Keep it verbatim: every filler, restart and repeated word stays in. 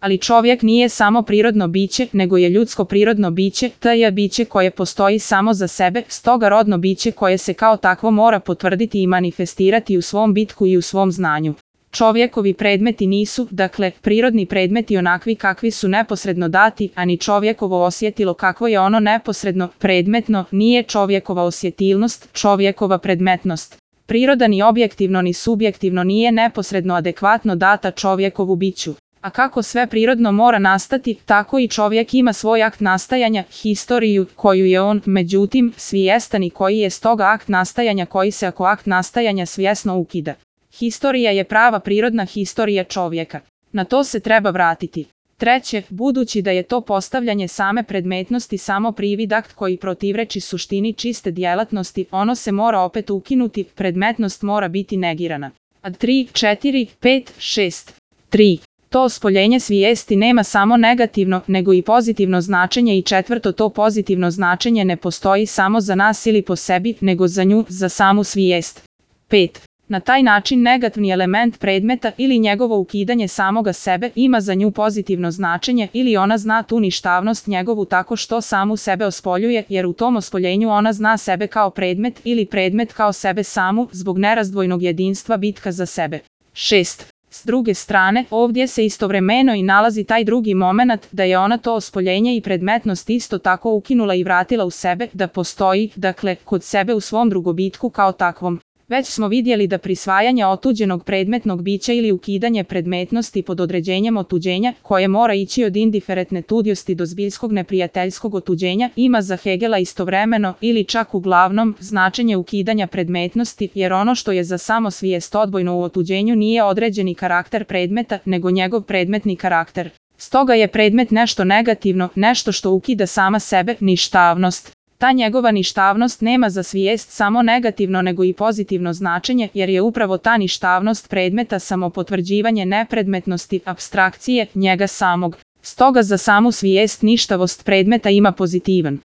Ali čovjek nije samo prirodno biće, nego je ljudsko prirodno biće, to je biće koje postoji samo za sebe, stoga rodno biće koje se kao takvo mora potvrditi i manifestirati u svom bitku i u svom znanju. Čovjekovi predmeti nisu, dakle, prirodni predmeti onakvi kakvi su neposredno dati, a ni čovjekovo osjetilo kakvo je ono neposredno, predmetno, nije čovjekova osjetilnost, čovjekova predmetnost. Priroda ni objektivno ni subjektivno nije neposredno adekvatno data čovjekovu biću. A kako sve prirodno mora nastati, tako i čovjek ima svoj akt nastajanja, historiju, koju je on, međutim, svjestan i koji je stoga akt nastajanja koji se ako akt nastajanja svjesno ukida. Historija je prava prirodna historija čovjeka. Na to se treba vratiti. Treće, budući da je to postavljanje same predmetnosti samo privid akt koji protivreči suštini čiste djelatnosti, ono se mora opet ukinuti, predmetnost mora biti negirana. A tri, četiri, pet, šest. tri. To ospoljenje svijesti nema samo negativno, nego i pozitivno značenje i četvrto, to pozitivno značenje ne postoji samo za nas ili po sebi, nego za nju, za samu svijest. pet. Na taj način negativni element predmeta ili njegovo ukidanje samoga sebe ima za nju pozitivno značenje ili ona zna tu ništavnost njegovu tako što samu sebe ospoljuje, jer u tom ospoljenju ona zna sebe kao predmet ili predmet kao sebe samu zbog nerazdvojnog jedinstva bitka za sebe. šest. S druge strane, ovdje se istovremeno i nalazi taj drugi momenat da je ona to ospoljenje i predmetnost isto tako ukinula i vratila u sebe, da postoji, dakle, kod sebe u svom drugobitku kao takvom. Već smo vidjeli da prisvajanje otuđenog predmetnog bića ili ukidanje predmetnosti pod određenjem otuđenja, koje mora ići od indiferentne tudiosti do zbiljskog neprijateljskog otuđenja, ima za Hegela istovremeno ili čak uglavnom značenje ukidanja predmetnosti, jer ono što je za samo svijest odbojno u otuđenju nije određeni karakter predmeta, nego njegov predmetni karakter. Stoga je predmet nešto negativno, nešto što ukida sama sebe, ništavnost. Ta njegova ništavnost nema za svijest samo negativno nego i pozitivno značenje, jer je upravo ta ništavnost predmeta samo potvrđivanje nepredmetnosti, apstrakcije, njega samog. Stoga za samu svijest ništavost predmeta ima pozitivan